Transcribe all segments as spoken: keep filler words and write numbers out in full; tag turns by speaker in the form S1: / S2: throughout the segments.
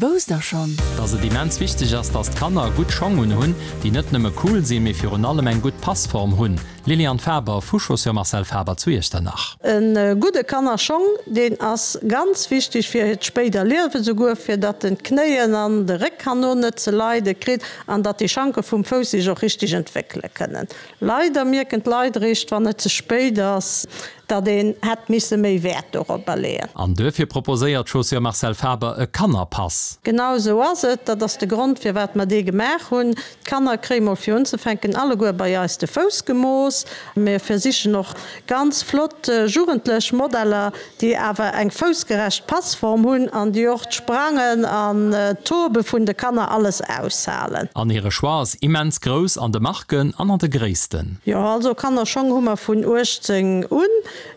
S1: Wousst der schonn?
S2: Dass et immens wichteg ass, dass d'Kanner gutt Schong un hunn, déi net nëmme cool sinn, mee virun allem eng gutt Passform hunn. Liliane Faber vu Chaussures Marcel Faber zu Iechternach.
S3: E gudde Kannerschong, deen ass ganz wichteg fir hiert spéider Liewen, souguer fir datt en d'Knéien an de Réck herno net ze leide kritt an datt déi Schanke vum Fouss sech och richteg entwéckele kënnen. Leider mierken d'Leit eréischt, wann et ze spéit ass, datt een hätt misse méi Wäert doropper leeën.
S2: An duerfir proposéiert d'Chaussures Marcel Faber e Kannerpass.
S3: Genau esou ass et. Dat ass de Grond, firwat mer dee gemaach hunn. D'Kanner kréie mol fir unzefänken alleguer bei eis de Fouss gemooss. Mir versichen och ganz flott jugendlech Modeller, déi awer eng foussgerecht Passform hunn an déi och d'Sprangen an d'Tobe vun de Kanner alles aushalen.
S2: An hire Choix ass immens grouss an de Marken an an de Gréissten.
S3: Jo, also Kannerschong hu mer vun uechtzéng un.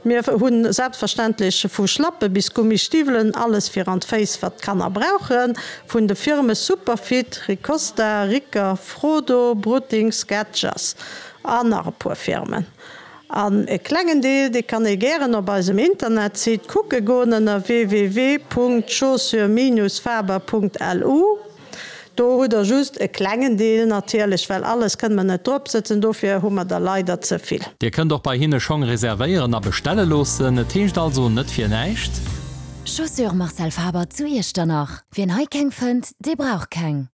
S3: Mir hu selbstverständlech vu Schlappe bis Gummistiwwelen, alles fir an d'Féiss, wat d'Kanner brauchen, vun de Firme Superfit, Ricosta, Riccer, Frodo, Brutting, Skechers an nach e puer Firmen. An e klengen Deel, dee kann ee gären op eisem Internetsite kucke goen ënner www.chaussures-faber.lu. Do hutt der just e klengen Deel natierlech, well alles kënne mer net drop sëtzen, dofir hu mer der leider ze vill.
S2: Dir kënnt och bei hinne Schong reservéieren a bestelle loossen. Et heescht also net fir näischt.
S1: Chaussures Marcel Faber zu Iechternach, Wien hei keng fënnt, dee brauch keng.